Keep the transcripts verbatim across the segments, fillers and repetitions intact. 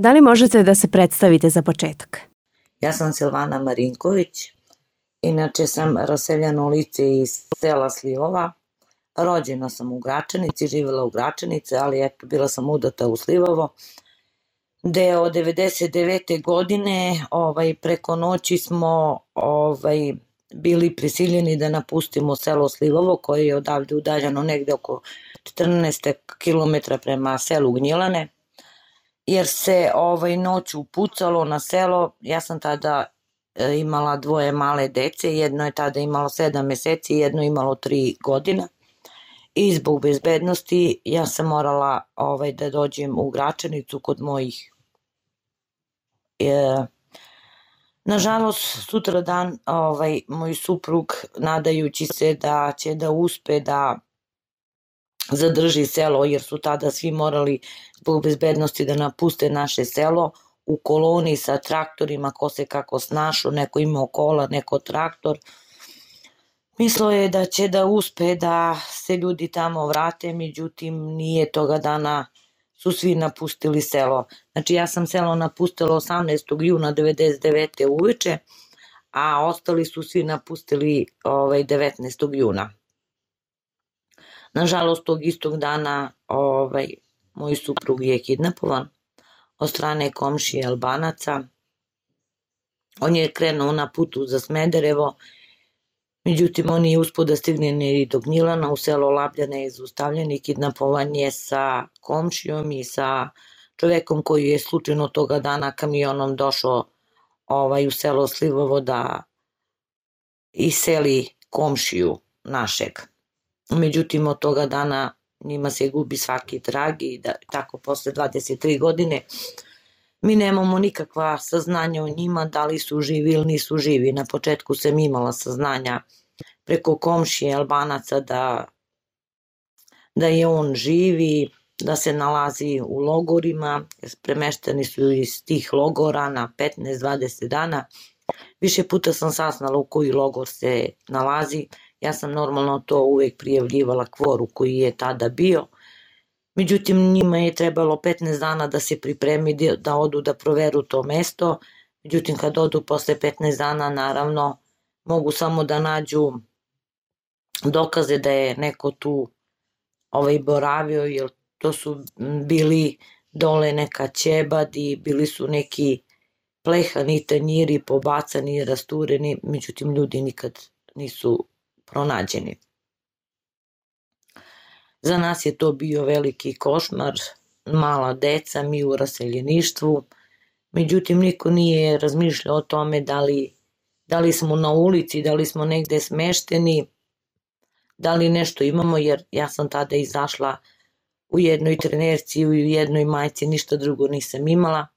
Da li možete da se predstavite za početak? Ja sam Silvana Marinković, inače sam raseljeno lice iz sela Slivova. Rođena sam u Gračanici, živjela u Gračanici, ali eto, bila sam udata u Slivovo. Gde od devedeset devete godine ovaj, preko noći smo ovaj, bili prisiljeni da napustimo selo Slivovo, koje je odavde udaljeno negde oko četrnaest kilometara prema selu Gnjilane, jer se ovaj, noću pucalo na selo. Ja sam tada e, imala dvoje male dece, jedno je tada imalo sedam meseci, jedno je imalo tri godina. I zbog bezbednosti ja sam morala ovaj, da dođem u Gračanicu kod mojih. E, nažalost, sutra dan ovaj, moj suprug, nadajući se da će da uspe da zadrži selo, jer su tada svi morali zbog bezbednosti da napuste naše selo, u koloni sa traktorima, ko se kako snašao, neko imao kola, neko traktor. Mislio je da će da uspe da se ljudi tamo vrate, međutim nije, toga dana su svi napustili selo. Znači ja sam selo napustila osamnaestog juna devedeset devete uveče, a ostali su svi napustili ovaj, devetnaestog juna. Nažalost, tog istog dana ovaj, moj suprug je kidnapovan od strane komšije Albanaca. On je krenuo na putu za Smederevo, međutim on nije uspio da stigne ni do Gnjilana, u selo Labljane je zaustavljen i kidnapovan je sa komšijom i sa čovekom koji je slučajno toga dana kamionom došao ovaj, u selo Slivovo da iseli komšiju našeg. Međutim, od toga dana njima se gubi svaki trag i da, tako posle dvadeset tri godine mi nemamo nikakva saznanja o njima, da li su živi ili nisu živi. Na početku sam imala saznanja preko komšije Albanaca da, da je on živi, da se nalazi u logorima, premešteni su iz tih logora na petnaest dvadeset dana. Više puta sam saznala u koji logor se nalazi. Ja sam normalno to uvek prijavljivala kvoru koji je tada bio. Međutim, njima je trebalo petnaest dana da se pripremi, da odu da proveru to mesto. Međutim, kad odu posle petnaest dana, naravno, mogu samo da nađu dokaze da je neko tu ovaj, boravio, jer to su bili dole neka ćebad i bili su neki plehani tanjiri pobacani i rastureni, međutim, ljudi nikad nisu pronađeni. Za nas je to bio veliki košmar, mala deca, mi u raseljeništvu, međutim niko nije razmišljao o tome da li, da li smo na ulici, da li smo negde smešteni, da li nešto imamo, jer ja sam tada izašla u jednoj trenerci i u jednoj majci, ništa drugo nisam imala.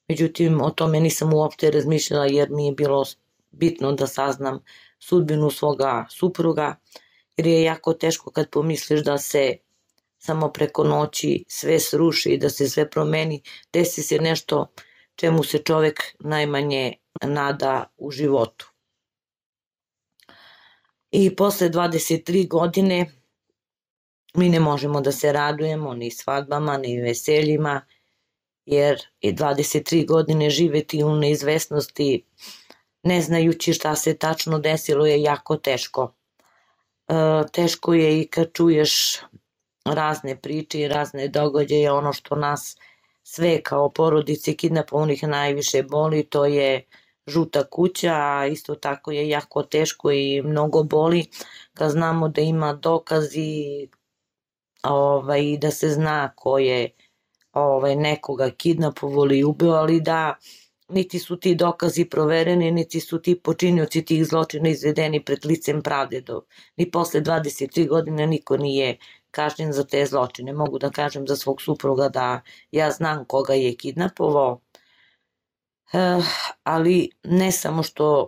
Međutim, o tome nisam uopšte razmišljala jer mi je bilo bitno da saznam sudbinu svoga supruga, jer je jako teško kad pomisliš da se samo preko noći sve sruši i da se sve promeni, desi se nešto čemu se čovek najmanje nada u životu. I posle dvadeset tri godine mi ne možemo da se radujemo ni svadbama, ni veseljima, jer je dvadeset tri godine živeti u neizvesnosti, ne znajući šta se tačno desilo, je jako teško. E, teško je i kad čuješ razne priče i razne događaje. Ono što nas sve kao porodice kidnapovanih najviše boli, to je žuta kuća, a isto tako je jako teško i mnogo boli kad znamo da ima dokazi ovaj, da se zna ko je ovaj, nekoga kidnapovao ili ubio, ali da niti su ti dokazi provereni, niti su ti počinioci tih zločina izvedeni pred licem pravde. Ni posle dvadeset tri godine niko nije kažnjen za te zločine. Mogu da kažem za svog supruga da ja znam koga je kidnapovao, e, ali ne samo što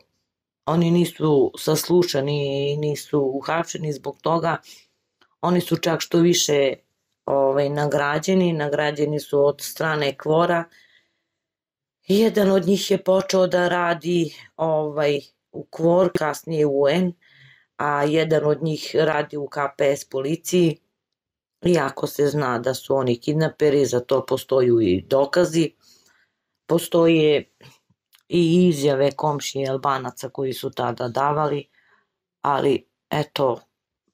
oni nisu saslušani i nisu uhapšeni zbog toga, oni su čak što više ovaj, nagrađeni, nagrađeni su od strane kvora. Jedan od njih je počeo da radi ovaj, u kvor, kasnije u en, a jedan od njih radi u ka pe es policiji. Iako se zna da su oni kidnaperi, za to postoju i dokazi. postoje i izjave komšije Albanaca koji su tada davali, ali eto,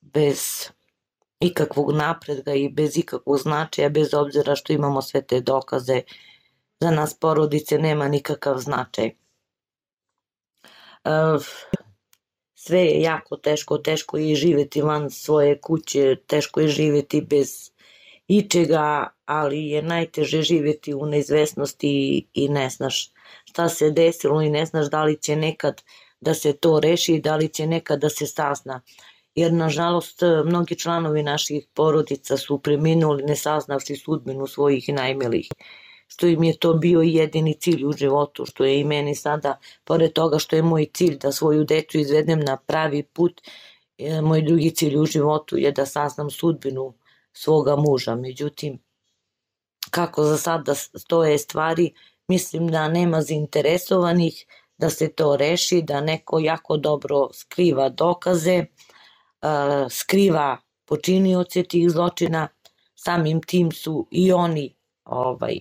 bez ikakvog napretka i bez ikakvog značaja, bez obzira što imamo sve te dokaze, za nas porodice nema nikakav značaj. Sve je jako teško, teško je živjeti van svoje kuće, teško je živjeti bez ičega, ali je najteže živjeti u neizvesnosti i ne znaš šta se desilo i ne znaš da li će nekad da se to reši, da li će nekad da se sazna. Jer nažalost mnogi članovi naših porodica su preminuli ne saznavši sudbinu svojih najmilijih, što im je to bio jedini cilj u životu, što je i meni sada, pored toga što je moj cilj da svoju decu izvedem na pravi put, moj drugi cilj u životu je da saznam sudbinu svoga muža. Međutim, kako za sada stoje stvari, mislim da nema zainteresovanih da se to reši, da neko jako dobro skriva dokaze, skriva počinioce tih zločina, samim tim su i oni ovaj,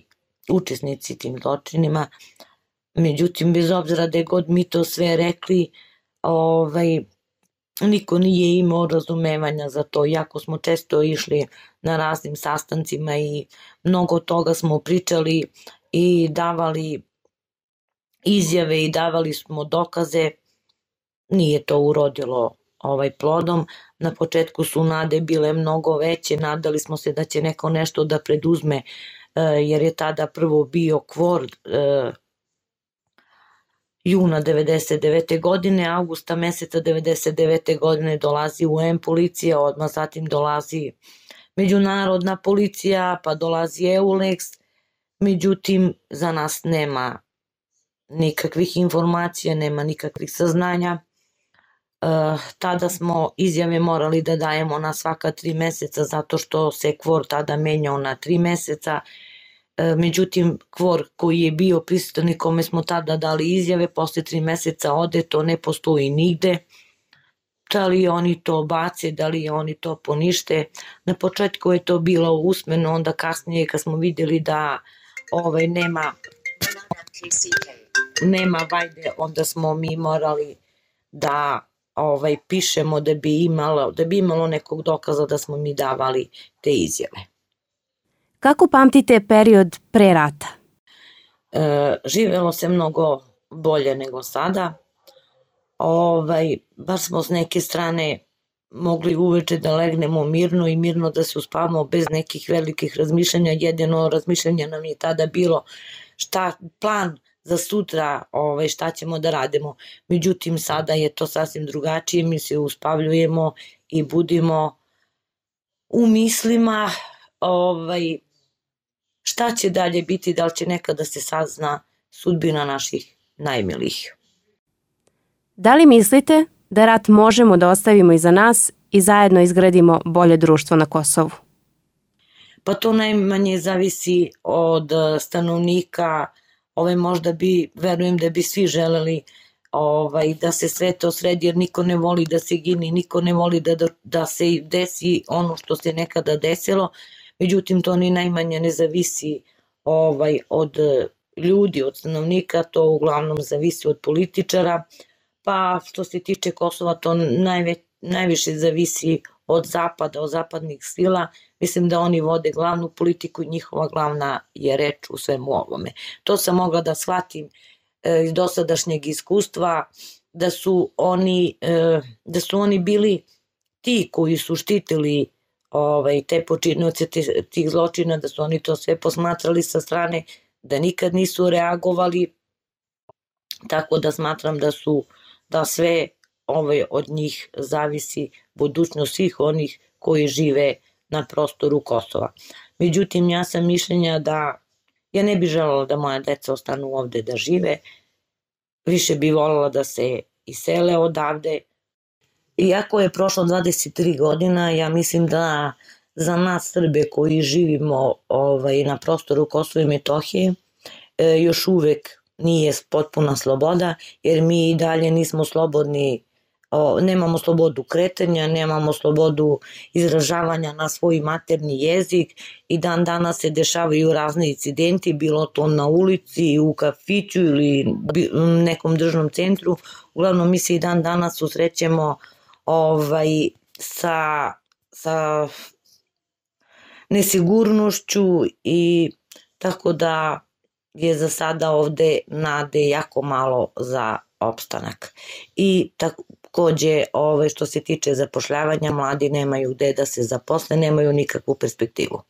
učesnici tim zločinima. Međutim, bez obzira da je god mi to sve rekli, ovaj, niko nije imao razumevanja za to, jako smo često išli na raznim sastancima i mnogo toga smo pričali i davali izjave i davali smo dokaze, nije to urodilo ovaj plodom. Na početku su nade bile mnogo veće, nadali smo se da će neko nešto da preduzme, jer je tada prvo bio kvor juna devedeset devete godine, avgusta meseca devedeset devete godine dolazi U N policija, odmah zatim dolazi međunarodna policija, pa dolazi EULEX, međutim za nas nema nikakvih informacija, nema nikakvih saznanja. Tada smo izjave morali da dajemo na svaka tri meseca zato što se kvor tada menjao na tri meseca. Međutim, kvor koji je bio prisutan i kome smo tada dali izjave, posle tri meseca ode, to ne postoji nigde. Da li oni to bace, da li oni to ponište. Na početku je to bilo usmeno, onda kasnije kad smo vidjeli da ovaj, nema, nema vajde, onda smo mi morali da ovaj, pišemo da bi, imalo, da bi imalo nekog dokaza da smo mi davali te izjave. Kako pamtite period pre rata? E, živelo se mnogo bolje nego sada. Ovaj, bar smo s neke strane mogli uveče da legnemo mirno i mirno da se uspavamo bez nekih velikih razmišljanja. Jedino razmišljanje nam je tada bilo šta plan za sutra, ovaj, šta ćemo da radimo. Međutim, sada je to sasvim drugačije, mi se uspavljujemo i budimo u mislima ovaj, šta će dalje biti, da li će nekada se sazna sudbina naših najmilijih. Da li mislite da rat možemo da ostavimo iza nas i zajedno izgradimo bolje društvo na Kosovu? Pa to najmanje zavisi od stanovnika. Ovaj, možda bi, verujem da bi svi želeli ovaj, da se sve to sredi, jer niko ne voli da se gini, niko ne voli da, da, da se desi ono što se nekada desilo. Međutim, to ni najmanje ne zavisi ovaj, od ljudi, od stanovnika, to uglavnom zavisi od političara, pa što se tiče Kosova, to najve, najviše zavisi od zapada, od zapadnih sila. Mislim da oni vode glavnu politiku i njihova glavna je reč u svemu ovome. To sam mogla da shvatim e, iz dosadašnjeg iskustva, da su oni, e, da su oni bili ti koji su štitili ovaj, te počinioce tih zločina, da su oni to sve posmatrali sa strane, da nikad nisu reagovali, tako da smatram da su, da sve ovaj, od njih zavisi budućnost svih onih koji žive na prostoru Kosova. Međutim, ja sam mišljenja da ja ne bih želela da moja deca ostanu ovde da žive, više bih voljela da se isele odavde. Iako je prošlo dvadeset tri godina, ja mislim da za nas Srbe koji živimo ovaj, na prostoru Kosova i Metohije e, još uvek nije potpuna sloboda, jer mi i dalje nismo slobodni o, nemamo slobodu kretanja, nemamo slobodu izražavanja na svoj materni jezik i dan danas se dešavaju razni incidenti, bilo to na ulici, u kafiću ili u nekom državnom centru. Uglavnom mi se i dan danas susrećemo ovaj, sa, sa nesigurnošću i tako da je za sada ovde nade jako malo za opstanak. I takođe, ove, što se tiče zapošljavanja, mladi nemaju gde da se zaposle, nemaju nikakvu perspektivu.